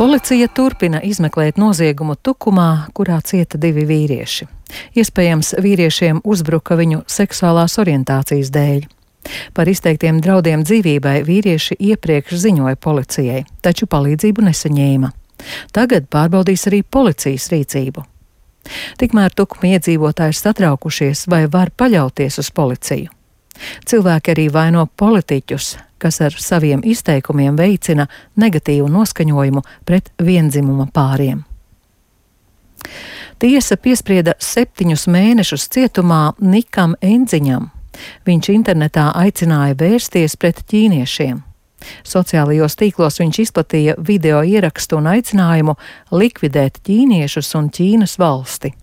Policija turpina izmeklēt noziegumu Tukumā, kurā cieta 2 vīrieši. Iespējams, vīriešiem uzbruka viņu seksuālās orientācijas dēļ. Par izteiktiem draudiem dzīvībai vīrieši iepriekš ziņoja policijai, taču palīdzību nesaņēma. Tagad pārbaudīs arī policijas rīcību. Tikmēr Tukuma iedzīvotāji satraukušies, vai var paļauties uz policiju. Cilvēki arī vaino politiķus, kas ar saviem izteikumiem veicina negatīvu noskaņojumu pret viendzimuma pāriem. Tiesa piesprieda 7 mēnešus cietumā Nikam Endziņam. Viņš internetā aicināja vērsties pret ķīniešiem. Sociālajos tīklos viņš izplatīja video ierakstu un aicinājumu likvidēt ķīniešus un Ķīnas valsti.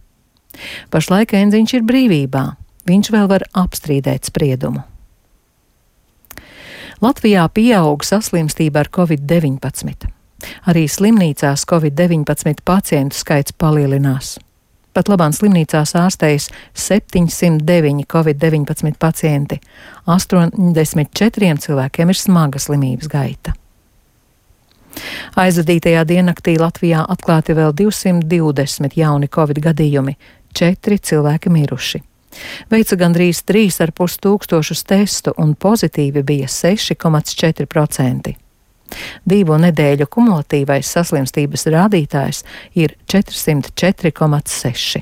Pašlaik Endziņš ir brīvībā. Viņš vēl var apstrīdēt spriedumu. Latvijā pieaug saslimstība ar Covid-19. Arī slimnīcās Covid-19 pacientu skaits palielinās. Pat labāk slimnīcās ārstējas 709 Covid-19 pacienti. 84 cilvēkiem ir smaga slimības gaita. Aizvadītajā diennaktī Latvijā atklāti vēl 220 jauni Covid gadījumi, 4 cilvēki miruši. Veica gandrīz 3,5 tūkstošus testu un pozitīvi bija 6,4%. 2 nedēļu kumulatīvais saslimstības rādītājs ir 404,6.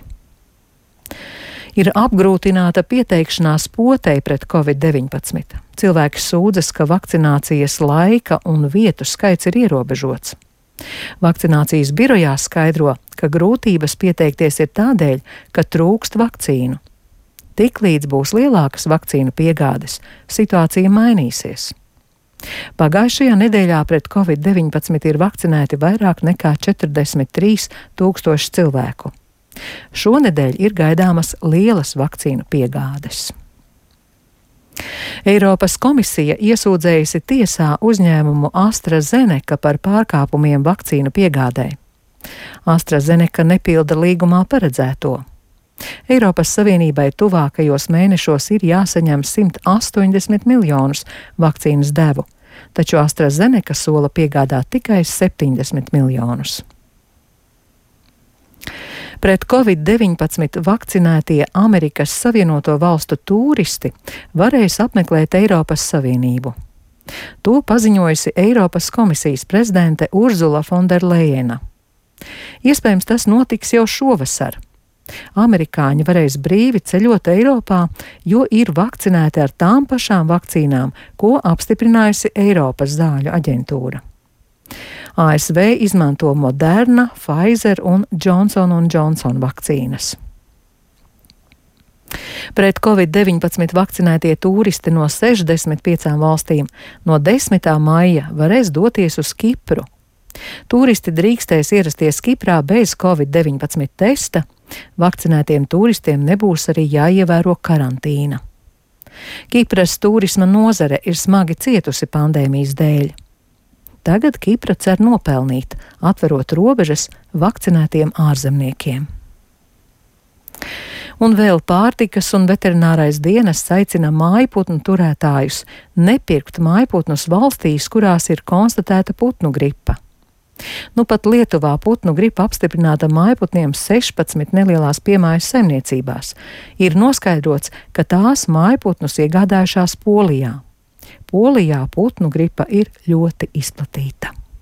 Ir apgrūtināta pieteikšanās potei pret Covid-19. Cilvēki sūdzas, ka vakcinācijas laika un vietu skaits ir ierobežots. Vakcinācijas birojā skaidro, ka grūtības pieteikties ir tādēļ, ka trūkst vakcīnu. Tiklīdz būs lielākas vakcīnu piegādes, situācija mainīsies. Pagājušajā nedēļā pret Covid-19 ir vakcinēti vairāk nekā 43 tūkstoši cilvēku. Šonedēļ ir gaidāmas lielas vakcīnu piegādes. Eiropas komisija iesūdzējusi tiesā uzņēmumu AstraZeneca par pārkāpumiem vakcīnu piegādē. AstraZeneca nepilda līgumā paredzēto. Eiropas Savienībai tuvākajos mēnešos ir jāsaņem 180 miljonus vakcīnas devu, taču AstraZeneca sola piegādāt tikai 70 miljonus. Pret Covid-19 vakcinētie Amerikas Savienoto Valstu tūristi varēs apmeklēt Eiropas Savienību. To paziņojusi Eiropas komisijas prezidente Urzula Fonderlejena. Iespējams, tas notiks jau šovasar. Amerikāņi varēs brīvi ceļot Eiropā, jo ir vakcinēti ar tām pašām vakcīnām, ko apstiprinājusi Eiropas zāļu aģentūra. ASV izmanto Moderna, Pfizer un Johnson & Johnson vakcīnas. Pret Covid-19 vakcinētie tūristi no 65 valstīm no 10. maija varēs doties uz Kipru. Tūristi drīkstēs ierasties Kiprā bez Covid-19 testa. Vakcinētiem tūristiem nebūs arī jāievēro karantīna. Kipras turisma nozare ir smagi cietusi pandēmijas dēļ. Tagad Kipra cer nopelnīt, atverot robežas vakcinētiem ārzemniekiem. Un vēl pārtikas un veterinārais dienests aicina mājputnu turētājus nepirkt mājputnus valstīs, kurās ir konstatēta putnu gripa. Nu pat Lietuvā putnu gripa apstiprināta mājputniem 16 nelielās piemājas saimniecībās. Ir noskaidrots, ka tās mājputnus iegādājušās Polijā. Polijā putnu gripa ir ļoti izplatīta.